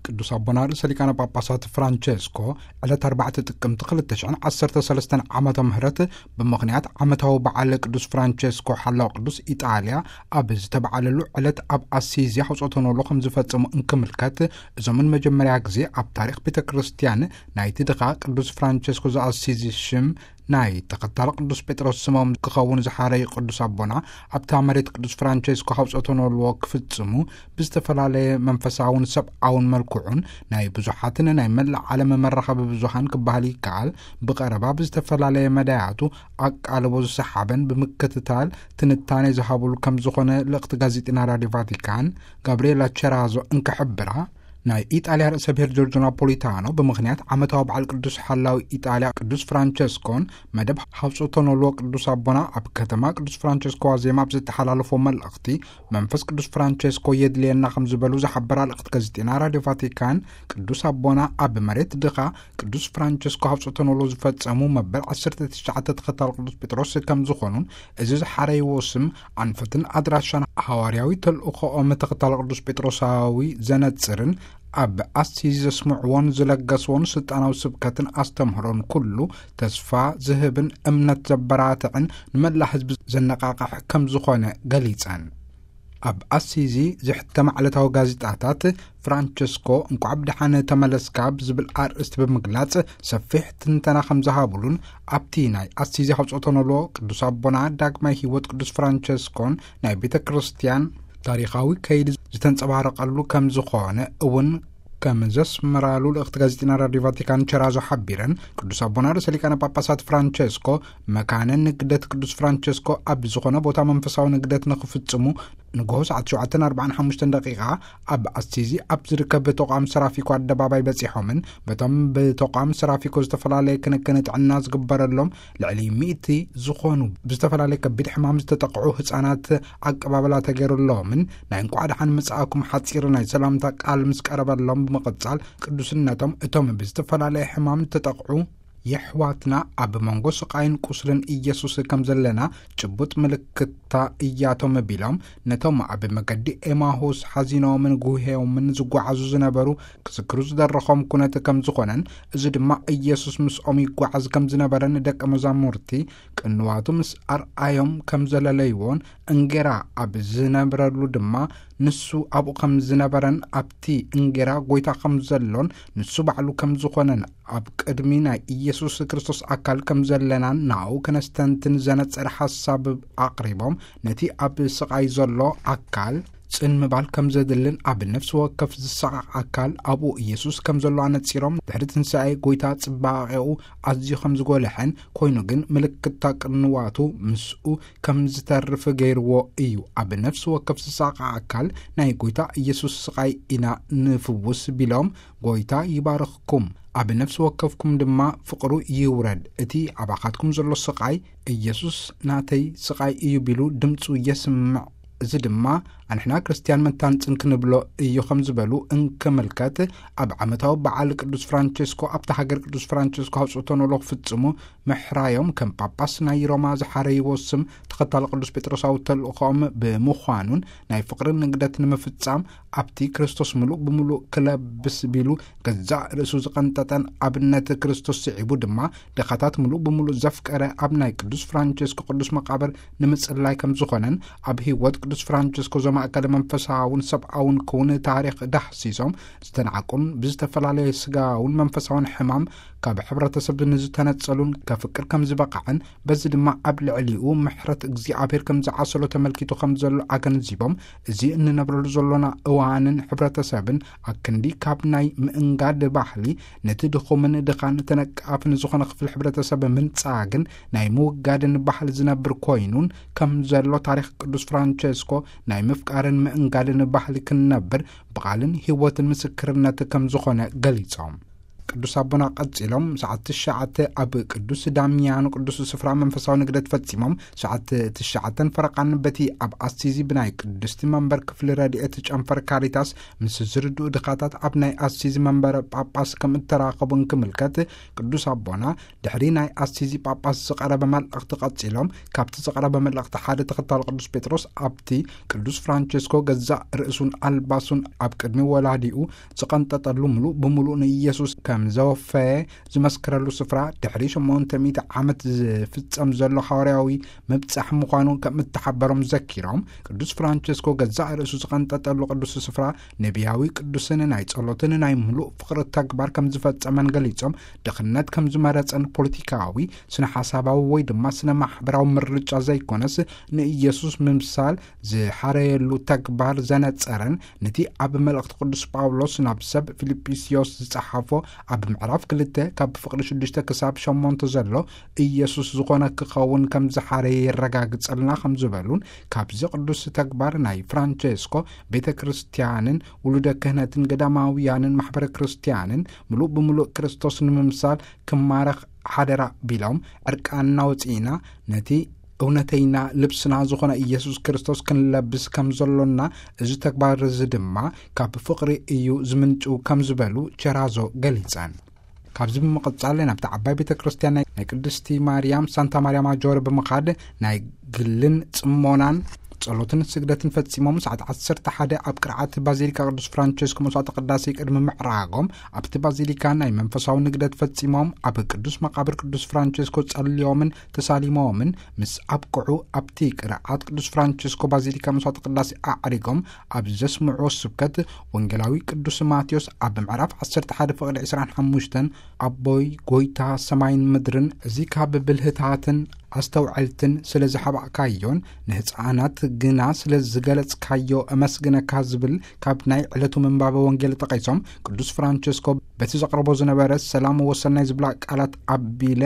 ቅዱስ ኣቦና ርእሰ ሊቃነ ጳጳሳት ፍራንቸስኮ ዕለት ኣርባዕተ ጥቅምቲ ክልተ ሽሕን ዓሰርተ ሰለስተን ዓመተ ምህረት ብምኽንያት ዓመታዊ በዓል ቅዱስ ፍራንቸስኮ ሓላው ቅዱስ ኢጣልያ ኣብ ዝተባዓለሉ ዕለት ኣብ ኣሲዚ ሕጾተ ኖሎ ከም ዝፈጸሙ እንክምልከት፣ እዞምን መጀመርያ ግዜ ኣብ ታሪኽ ቤተ ክርስቲያን ናይቲ ድኻ ቅዱስ ፍራንቸስኮ ዘኣሲዚ ሽም ናይ ተኸታሊ ቅዱስ ጴጥሮስ ስሞም ክኸውን ዝሓረዩ ቅዱስ ኣቦና ኣብታ መሬት ቅዱስ ፍራንቸስኮ ሕጾተ ኖሎ ክፍጽሙ ብዝተፈላለየ መንፈሳውን ሰብኣውን መልክዑን ናይ ብዙሓትን ናይ መላእ ዓለም መራኸቢ ብዙሃን ክበሃል ይከኣል ብቐረባ ብዝተፈላለየ መዳያቱ ኣቃልቦ ዝሰሓበን ብምክትታል ትንታኔ ዝሃብሉ ከም ዝኾነ ልእኽቲ ጋዜጢና ራዲዮ ቫቲካን ጋብርኤላ ቸራዞ እንክሕብራ፣ ናይ ኢጣልያ ርእሰ ብሔር ጆርጆ ናፖሊታኖ ብምኽንያት ዓመታዊ በዓል ቅዱስ ሓላዊ ኢጣልያ ቅዱስ ፍራንቸስኮን መደብ ሕጽዮተ ኖልዎ ቅዱስ ኣቦና ኣብ ከተማ ቅዱስ ፍራንቸስኮ ዋዜማ ኣብ ዝተሓላለፎ መልእኽቲ፣ መንፈስ ቅዱስ ፍራንቸስኮ የድልየና ከም ዝበሉ ዝሓበራ ልእኽቲ ጋዜጢና ራዲዮ ቫቲካን፣ ቅዱስ ኣቦና ኣብ መሬት ድኻ ቅዱስ ፍራንቸስኮ ሕጽዮተ ኖልዎ ዝፈጸሙ መበል ዓሰርተ ትሽዓተ ተኸታሊ ቅዱስ ጴጥሮስ ከም ዝኾኑን፣ እዚ ዝሓረይዎ ስም ኣንፈትን ኣድራሻን ሃዋርያዊ ተልእኾኦም ተኸታሊ ቅዱስ ጴጥሮሳዊ ዘነጽርን ኣብ ኣሲዚ ዘስምዕዎን ዝለገስዎን ስልጣናዊ ስብከትን ኣስተምህሮን ኩሉ ተስፋ ዝህብን እምነት ዘበራትዕን ንመላእ ህዝቢ ዘነቃቕሕ ከም ዝኾነ ገሊጸን። ኣብ ኣሲዚ ዝሕተማ ዕለታዊ ጋዜጣታት ፍራንቸስኮ እንቋዕ ብደሓን ተመለስካ ብዝብል ኣርእስቲ ብምግላጽ ሰፊሕ ትንተና ከም ዝሃብሉን፣ ኣብቲ ናይ ኣሲዚ ሕጽዮተ ኖልዎ ቅዱስ ኣቦና ዳግማይ ህይወት ቅዱስ ፍራንቸስኮን ናይ ቤተ ክርስቲያን ታሪኻዊ ከይዲ ዝተንጸባረቐሉ ከም ዝኾነ እውን ከም ዘስምራሉ ልእኽቲ ጋዜጢና ራዲዮ ቫቲካን ቸራዞ ሓቢረን፣ ቅዱስ ኣቦና ርእሰ ሊቃነ ጳጳሳት ፍራንቸስኮ መካነ ንግደት ቅዱስ ፍራንቸስኮ ኣብ ዝኾነ ቦታ መንፈሳዊ ንግደት ንኽፍጽሙ ንግሆ ሰዓት ሸውዓተ ኣርባዓን ሓሙሽተን ደቂቓ ኣብ ኣሲዚ ኣብ ዝርከብ ተቋም ሰራፊኮ ኣደባባይ በጺሖምን፣ በቶም ብተቋም ሰራፊኮ ዝተፈላለየ ክንክን ጥዕና ዝግበረሎም ልዕሊ ሚእቲ ዝኾኑ ብዝተፈላለየ ከቢድ ሕማም ዝተጠቕዑ ህጻናት ኣቀባብላ ተገይሩሎምን ናይ እንቋዕ ደሓን ምጽኣኩም ሓጺር ናይ ሰላምታ ቃል ምስ ቀረበሎም ብምቕጻል፣ ቅዱስነቶም እቶም ብዝተፈላለየ ሕማም ዝተጠቕዑ የሕዋትና ኣብ መንጎ ስቓይን ቁስልን ኢየሱስ ከም ዘለና ጭቡጥ ምልክታ እያቶም ቢሎም፣ ነቶም ኣብ መገዲ ኤማሁስ ሓዚኖምን ጉህዮምን ዝጓዓዙ ዝነበሩ ክዝክሩ ዝደረኾም ኩነት ከም ዝኾነን፣ እዚ ድማ ኢየሱስ ምስኦም ይጓዓዝ ከም ዝነበረን ደቀ መዛሙርቲ ቅንዋቱ ምስ ኣርኣዮም ከም ዘለለይዎን፣ እንጌራ ኣብ ዝነብረሉ ድማ ንሱ ኣብኡ ከም ዝነበረን ኣብቲ እንጌራ ጐይታ ከም ዘሎን ንሱ ባዕሉ ከም ዝኾነን ኣብ ቅድሚ ናይ ኢየሱስ ክርስቶስ ኣካል ከም ዘለናን ንኣኡ ከነስተንትን ዘነጸረ ሓሳብ ኣቕሪቦም፣ ነቲ ኣብ ስቓይ ዘሎ ኣካል ጽን ምባል ከም ዘድልን ኣብ ነፍሲ ወከፍ ዝሰቓቕ ኣካል ኣብኡ ኢየሱስ ከም ዘሎ ኣነጺሮም፣ ድሕሪ ትንሳኤ ጐይታ ጽባቐኡ ኣዝዩ ከም ዝጎልሐን ኮይኑ ግን ምልክታ ቅንዋቱ ምስኡ ከም ዝተርፍ ገይርዎ እዩ። ኣብ ነፍሲ ወከፍ ዝሰቓቕ ኣካል ናይ ጐይታ ኢየሱስ ስቓይ ኢና ንፍውስ ቢሎም፣ ጐይታ ይባርኽኩም፣ ኣብ ነፍሲ ወከፍኩም ድማ ፍቕሩ ይውረድ። እቲ ኣባኻትኩም ዘሎ ስቓይ፣ ኢየሱስ ናተይ ስቓይ እዩ ቢሉ ድምጹ የስምዕ። እዚ ድማ ኣንሕና ክርስትያን መታን ጽን ክንብሎ እዩ ከም ዝበሉ እንክምልከት፣ ኣብ ዓመታዊ በዓል ቅዱስ ፍራንቸስኮ ኣብታ ሃገር ቅዱስ ፍራንቸስኮ ሕጽዮተ ኖልዎ ክፍጽሙ ምሕራዮም ከም ጳጳስ ናይ ሮማ ዝሓረይዎ ስም ተኸታሊ ቅዱስ ጴጥሮሳዊ ተልእኾኦም ብምዃኑን ናይ ፍቕሪ ንግደት ንምፍጻም ኣብቲ ክርስቶስ ምሉእ ብምሉእ ክለብስ ቢሉ ገዛእ ርእሱ ዝቐንጠጠን ኣብነት ክርስቶስ ስዒቡ ድማ ድኻታት ምሉእ ብምሉእ ዘፍቀረ ኣብ ናይ ቅዱስ ፍራንቸስኮ ቅዱስ መቓብር ንምጽላይ ከም ዝኾነን ኣብ ህይወት ቅዱስ ፍራንቸስኮ ዘማእከለ መንፈሳውን ሰብኣውን ክውን ታሪኽ ዳህሲሶም ዝተናዕቁን ብዝተፈላለየ ስጋውን መንፈሳውን ሕማም ካብ ሕብረተሰብ ንዝተነጸሉን ከፍቅር ከም ዝበቕዐን በዚ ድማ ኣብ ልዕሊኡ ምሕረት እግዚኣብሔር ከም ዝዓሰሎ ተመልኪቱ ከም ዘሎ ኣገንዚቦም፣ እዚ እንነብረሉ ዘሎና እዋንን ሕብረተሰብን ኣክንዲ ካብ ናይ ምእንጋድ ባህሊ ነቲ ድኹምን ድኻን ተነቃፍን ዝኾነ ክፍሊ ሕብረተሰብ ምንጻግን ናይ ምውጋድን ባህሊ ዝነብር ኮይኑን ከም ዘሎ ታሪኽ ቅዱስ ፍራንቸስኮ ናይ ምፍቃርን ምእንጋድን ባህሊ ክንነብር ብቓልን ህይወትን ምስክርነት ከም ዝኾነ ገሊጾም። ቅዱስ ኣቦና ቀጺሎም ሰዓት ትሽዓተ ኣብ ቅዱስ ዳሚያኖ ቅዱስ ስፍራ መንፈሳዊ ንግደት ፈጺሞም፣ ሰዓት ትሽዓተን ፈረቓን በቲ ኣብ ኣሲዚ ብናይ ቅድስቲ መንበር ክፍሊ ረድኤት ጨንፈር ካሪታስ ምስ ዝርድኡ ድኻታት ኣብ ናይ ኣሲዚ መንበረ ጳጳስ ከም እተራኸቡ እንክምልከት፣ ቅዱስ ኣቦና ድሕሪ ናይ ኣሲዚ ጳጳስ ዝቐረበ መልእኽቲ ቀጺሎም፣ ካብቲ ዝቐረበ መልእኽቲ ሓደ ተኸታሊ ቅዱስ ጴጥሮስ ኣብቲ ቅዱስ ፍራንቸስኮ ገዛእ ርእሱን ኣልባሱን ኣብ ቅድሚ ወላዲኡ ዝቐንጠጠሉ፣ ምሉእ ብምሉእ ንኢየሱስ ከም ዘወፈየ ዝመስክረሉ ስፍራ፣ ድሕሪ ሸሞንተ ሚእቲ ዓመት ዝፍጸም ዘሎ ሃዋርያዊ ምብጻሕ ምዃኑ ከም እተሓበሮም ዘኪሮም፣ ቅዱስ ፍራንቸስኮ ገዛእ ርእሱ ዝቐንጠጠሉ ቅዱስ ስፍራ ነቢያዊ፣ ቅዱስን ናይ ጸሎትን ናይ ምሉእ ፍቕሪ ተግባር ከም ዝፈጸመን ገሊጾም፣ ድኽነት ከም ዝመረጸን ፖለቲካዊ፣ ስነ ሓሳባዊ ወይ ድማ ስነ ማሕበራዊ ምርጫ ዘይኮነስ፣ ንኢየሱስ ምምሳል ዝሓረየሉ ተግባር ዘነጸረን፣ ነቲ ኣብ መልእኽቲ ቅዱስ ጳውሎስ ናብ ሰብ ፊልጵስዮስ ዝጸሓፎ ኣብ ምዕራፍ ክልተ ካብ ፍቕዲ ሽዱሽተ ክሳብ ሸሞንተ ዘሎ ኢየሱስ ዝኾነ ክኸውን ከም ዝሓረየ የረጋግጸልና ከም ዝበሉን፣ ካብዚ ቅዱስ ተግባር ናይ ፍራንቸስኮ ቤተ ክርስቲያንን ውሉደ ክህነትን ገዳማውያንን ማሕበረ ክርስቲያንን ምሉእ ብምሉእ ክርስቶስ ንምምሳል ክማረኽ ሓደራ ቢሎም፣ ዕርቃንና ወጺእና ነቲ እውነተይና ልብስና ዝኾነ ኢየሱስ ክርስቶስ ክንለብስ ከም ዘሎና፣ እዚ ተግባር እዚ ድማ ካብ ፍቕሪ እዩ ዝምንጩ ከም ዝበሉ ቸራዞ ገሊጸን። ካብዚ ብምቕጻል ናብቲ ዓባይ ቤተ ክርስቲያን ናይ ናይ ቅድስቲ ማርያም ሳንታ ማርያ ማጆር ብምኻድ ናይ ግልን ጽሞናን ጸሎትን ስግደትን ፈጺሞም፣ ሰዓት ዓሰርተ ሓደ ኣብ ቅርዓት ባዚሊካ ቅዱስ ፍራንቸስኮ መስዋዕተ ቅዳሴ ቅድሚ ምዕራጎም፣ ኣብቲ ባዚሊካ ናይ መንፈሳዊ ንግደት ፈጺሞም፣ ኣብ ቅዱስ መቓብር ቅዱስ ፍራንቸስኮ ጸልዮምን ተሳሊሞምን ምስ ኣብቅዑ፣ ኣብቲ ቅርዓት ቅዱስ ፍራንቸስኮ ባዚሊካ መስዋዕተ ቅዳሴ ኣዕሪጎም ኣብ ዘስምዕዎ ስብከት፣ ወንጌላዊ ቅዱስ ማቴዎስ ኣብ ምዕራፍ ዓሰርተ ሓደ ፍቕዲ ዕስራን ሓሙሽተን፣ ኣቦይ ጎይታ ሰማይን ምድርን፣ እዚ ካብ ብልህታትን ኣስተውዐልትን ስለ ዝሓባእካዮን ንህፃናት ግና ስለ ዝገለጽካዮ እመስግነካ ዝብል ካብ ናይ ዕለቱ ምንባበ ወንጌል ጠቒሶም፣ ቅዱስ ፍራንቸስኮ በቲ ዘቕርቦ ዝነበረ ሰላም ወሰናይ ዝብላ ቃላት ኣቢለ፣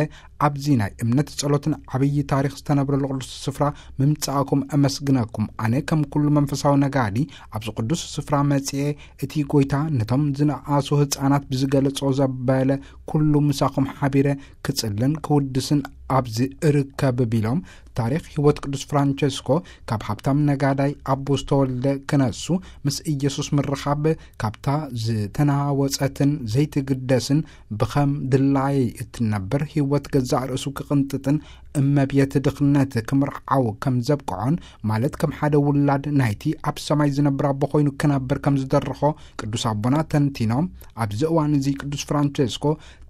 ኣብዚ ናይ እምነት ጸሎትን ዓብዪ ታሪኽ ዝተነብረሉ ቅዱስ ስፍራ ምምጻእኩም እመስግነኩም። ኣነ ከም ኩሉ መንፈሳዊ ነጋዲ ኣብዚ ቅዱስ ስፍራ መጺኤ፣ እቲ ጎይታ ነቶም ዝነኣሱ ህጻናት ብዝገለጾ ዘበለ ኩሉ ምሳኹም ሓቢረ ክጽልን ክውድስን ኣብዚ እርከብ ቢሎም፣ ታሪኽ ህይወት ቅዱስ ፍራንቸስኮ ካብ ሃብታም ነጋዳይ ኣቦ ዝተወልደ ክነሱ ምስ ኢየሱስ ምርኻብ፣ ካብታ ዝተናወጸትን ዘይትግደስን ብኸም ድላየይ እትነብር ህይወት ገዛእ ርእሱ ክቕንጥጥን እመቤት ድኽነት ክምርዓው ከም ዘብቅዖን፣ ማለት ከም ሓደ ውላድ ናይቲ ኣብ ሰማይ ዝነብር ኣቦ ኮይኑ ክነብር ከም ዝደረኾ ቅዱስ ኣቦና ተንቲኖም፣ ኣብዚ እዋን እዚ ቅዱስ ፍራንቸስኮ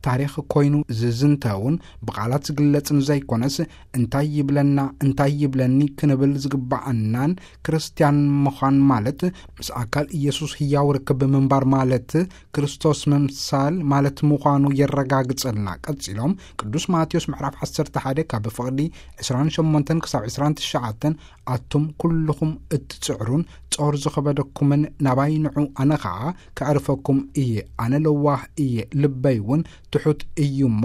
ታሪኽ ኮይኑ ዝዝንተውን ብቓላት ዝግለጽን ዘይኮነስ፣ እንታይ ይብለና እንታይ ይብለኒ ክንብል ዝግባኣናን፣ ክርስትያን ምዃን ማለት ምስ ኣካል ኢየሱስ ህያው ርክብ ምንባር ማለት ክርስቶስ ምምሳል ማለት ምዃኑ የረጋግጸልና። ቀጺሎም ቅዱስ ማቴዎስ ምዕራፍ ዓሰርተ ሓደ ካብ ፍቕዲ ዕስራን ሸሞንተን ክሳብ ዕስራን ትሽዓተን፣ ኣቱም ኩልኹም እትጽዕሩን ጾር ዝኸበደኩምን ናባይ ንዑ፣ ኣነ ኸኣ ከዕርፈኩም እየ። ኣነ ለዋህ እየ፣ ልበይ እውን ትሑት እዩ እሞ፣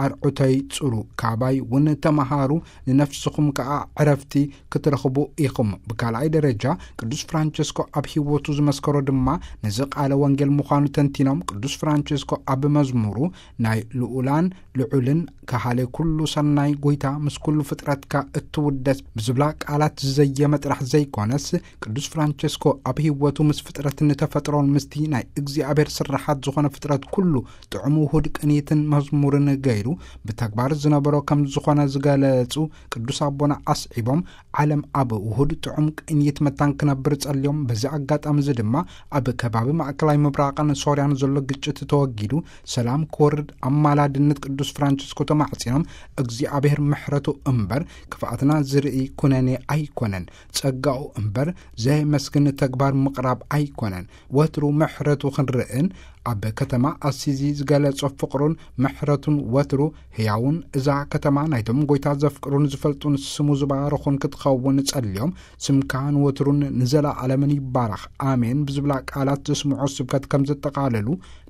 ኣርዑተይ ጽሩ፣ ካባይ እውን ተመሃሩ፣ ንነፍስኹም ከኣ ዕረፍቲ ክትረኽቡ ኢኹም። ብካልኣይ ደረጃ፣ ቅዱስ ፍራንቸስኮ ኣብ ህይወቱ ዝመስከሮ ድማ ነዚ ቃለ ወንጌል ምዃኑ ተንቲኖም፣ ቅዱስ ፍራንቸስኮ ኣብ መዝሙሩ፣ ናይ ልኡላን ልዑልን ከሃሌ ኩሉ ሰናይ ጎይታ፣ ምስ ኩሉ ፍጥረትካ እትውደስ ብዝብላ ቃላት ዝዘየመ ጥራሕ ዘይኮነስ፣ ቅዱስ ፍራንቸስኮ ኣብ ህይወቱ ምስ ፍጥረት ንተፈጥሮን ምስቲ ናይ እግዚኣብሔር ስርሓት ዝኾነ ፍጥረት ኩሉ ጥዑም ውሁድ ቅንይትን መዝሙርን ገይሩ ብተግባር ዝነበሮ ከም ዝኾነ ዝገለጹ ቅዱስ ኣቦና ኣስዒቦም፣ ዓለም ኣብ ውሁድ ጥዑም ቅንይት መታን ክነብር ጸልዮም፣ በዚ ኣጋጣሚ እዚ ድማ ኣብ ከባቢ ማእከላይ ምብራቕን ሶርያን ዘሎ ግጭት ተወጊዱ ሰላም ክወርድ ኣማላድነት ቅዱስ ፍራንቸስኮ ተማሕጺኖም፣ እግዚኣብሔር ምሕረቱ እምበር ክፍኣትና ዝርኢ ኩነኔ ኣይኮነን፣ ጸጋኡ እምበር ዘየመስግን ተግባር ምቕራብ ኣይኮነን። ወትሩ ምሕረቱ ክንርእን ኣብ ከተማ ኣሲዚ ዝገለጾ ፍቕሩን ምሕረቱን ወትሩ ህያውን፣ እዛ ከተማ ናይቶም ጎይታ ዘፍቅሩን ዝፈልጡን ስሙ ዝባረኹን ክትኸውን ጸልዮም፣ ስምካ ንወትሩን ንዘለዓለምን ይባረኽ፣ ኣሜን ብዝብላ ቃላት ዘስምዖ ስብከት ከም ዘጠቓለሉ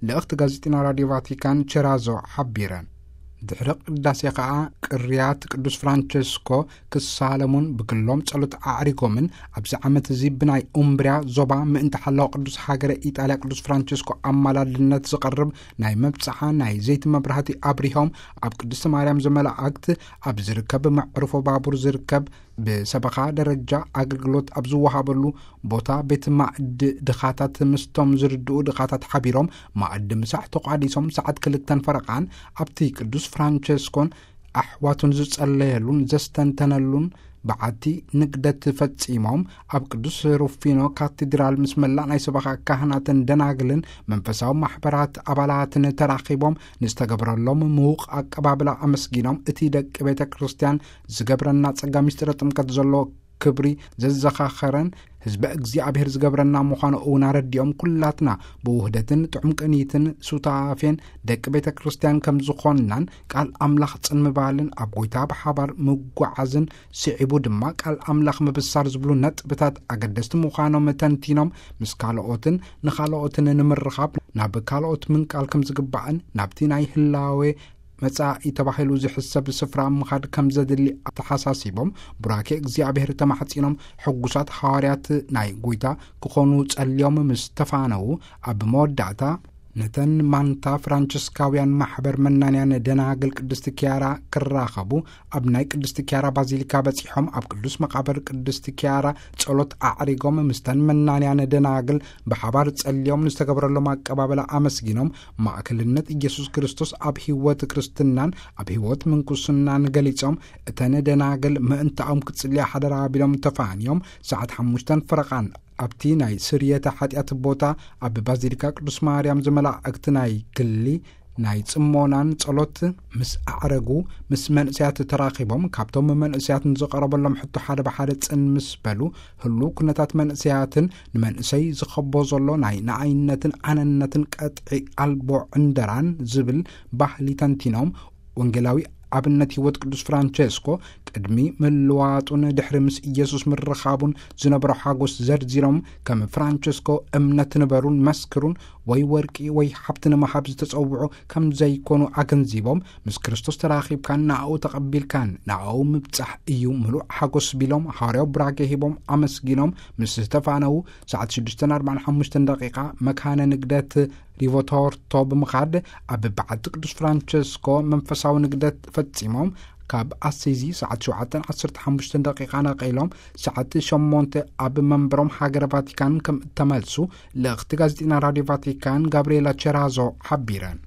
ልእኽቲ ጋዜጢና ራድዮ ቫቲካን ቸራዞ ሓቢረን። ድሕሪ ቅዳሴ ኸኣ ቅርያት ቅዱስ ፍራንቸስኮ ክሳለሙን ብግሎም ጸሎት ኣዕሪጎምን፣ ኣብዚ ዓመት እዚ ብናይ ኡምብርያ ዞባ ምእንቲ ሓላው ቅዱስ ሃገረ ኢጣልያ ቅዱስ ፍራንቸስኮ ኣማላድነት ዝቐርብ ናይ መብጽዓ ናይ ዘይቲ መብራህቲ ኣብሪሆም፣ ኣብ ቅድስቲ ማርያም ዘመላእክት ኣብ ዝርከብ መዕርፎ ባቡር ዝርከብ ብሰበኻ ደረጃ ኣገልግሎት ኣብ ዝወሃበሉ ቦታ ቤት ማዕድ ድኻታት ምስቶም ዝርድኡ ድኻታት ሓቢሮም ማዕድ ምሳሕ ተቋዲሶም፣ ሰዓት ክልተን ፈረቓን ኣብቲ ቅዱስ ፍራንቸስኮን ኣሕዋቱን ዝጸለየሉን ዘስተንተነሉን በዓቲ ንግደት ፈጺሞም፣ ኣብ ቅዱስ ሩፊኖ ካቴድራል ምስ መላእ ናይ ሰበኻ ካህናትን ደናግልን መንፈሳዊ ማሕበራት ኣባላትን ተራኺቦም ንዝተገብረሎም ምዉቕ ኣቀባብላ ኣመስጊኖም፣ እቲ ደቂ ቤተ ክርስቲያን ዝገብረና ጸጋ ምስጢረ ጥምቀት ዘሎ ክብሪ ዘዘኻኸረን ህዝበ እግዚኣብሔር ዝገብረና ምዃኑ እውን ኣረዲኦም፣ ኩላትና ብውህደትን ጥዑም ቅኒትን ሱታፌን ደቂ ቤተ ክርስቲያን ከም ዝኾንናን ቃል ኣምላኽ ጽን ምባልን ኣብ ጎይታ ብሓባር ምጓዓዝን ስዒቡ ድማ ቃል ኣምላኽ ምብሳር ዝብሉ ነጥብታት ኣገደስቲ ምዃኖም ተንቲኖም፣ ምስ ካልኦትን ንኻልኦትን ንምርኻብ ናብ ካልኦት ምንቃል ከም ዝግባእን ናብቲ ናይ ህላዌ መጻኢ ተባሂሉ ዝሕሰብ ስፍራ ምኻድ ከም ዘድሊ ኣተሓሳሲቦም፣ ቡራኬ እግዚኣብሔር ተማሕጺኖም ሕጉሳት ሃዋርያት ናይ ጎይታ ክኾኑ ጸልዮም ምስ ተፋነዉ፣ ኣብ መወዳእታ ነተን ማንታ ፍራንቸስካውያን ማሕበር መናንያን ደናግል ቅድስቲ ኪያራ ክራኸቡ ኣብ ናይ ቅድስቲ ኪያራ ባዚሊካ በጺሖም፣ ኣብ ቅዱስ መቓብር ቅድስቲ ኪያራ ጸሎት ኣዕሪጎም፣ ምስተን መናንያን ደናግል ብሓባር ጸልዮም ንዝተገብረሎም ኣቀባበላ ኣመስጊኖም፣ ማእከልነት ኢየሱስ ክርስቶስ ኣብ ህይወት ክርስትናን ኣብ ህይወት ምንኩስናን ገሊጾም፣ እተን ደናግል ምእንታኦም ክጽልያ ሓደራ ቢሎም ተፋንዮም፣ ሰዓት ሓሙሽተን ፈረቓን ኣብቲ ናይ ስርየተ ሓጢኣት ቦታ ኣብ ባዚሊካ ቅዱስ ማርያም ዘመላእክቲ ናይ ግሊ ናይ ጽሞናን ጸሎት ምስ ኣዕረጉ፣ ምስ መንእሰያት ተራኺቦም፣ ካብቶም መንእሰያት ንዝቐረበሎም ሕቶ ሓደ ብሓደ ጽን ምስ በሉ፣ ህሉው ኩነታት መንእሰያትን ንመንእሰይ ዝኸቦ ዘሎ ናይ ንኣይነትን ኣነነትን ቀጥዒ ኣልቦ ዕንደራን ዝብል ባህሊ ተንቲኖም፣ ወንጌላዊ ኣብነት ህይወት ቅዱስ ፍራንቸስኮ ቅድሚ ምልዋጡን ድሕሪ ምስ ኢየሱስ ምርኻቡን ዝነበሮ ሓጎስ ዘርዚሮም፣ ከም ፍራንቸስኮ እምነት ንበሩን መስክሩን፣ ወይ ወርቂ ወይ ሃብቲ ንምሃብ ዝተጸውዑ ከም ዘይኮኑ ኣገንዚቦም፣ ምስ ክርስቶስ ተራኺብካን ንኣኡ ተቐቢልካን ንኣኡ ምብጻሕ እዩ ምሉእ ሓጎስ ቢሎም፣ ሃዋርያዊ ቡራኬ ሂቦም ኣመስጊኖም ምስ ዝተፋነዉ፣ ሰዓት ሽዱሽተን ኣርባዓን ሓሙሽተን ደቂቓ መካነ ንግደት ሪቮቶርቶ ብምኻድ ኣብ በዓቲ ቅዱስ ፍራንቸስኮ መንፈሳዊ ንግደት ፈጺሞም፣ ካብ ኣሲዚ ሰዓት ሸውዓተን ዓሰርተ ሓሙሽተን ደቂቓ ነቒሎም ሰዓት ሸሞንተ ኣብ መንበሮም ሃገረ ቫቲካን ከም እተመልሱ ልእኽቲ ጋዜጠኛ ራድዮ ቫቲካን ጋብርኤላ ቸራዞ ሓቢረን።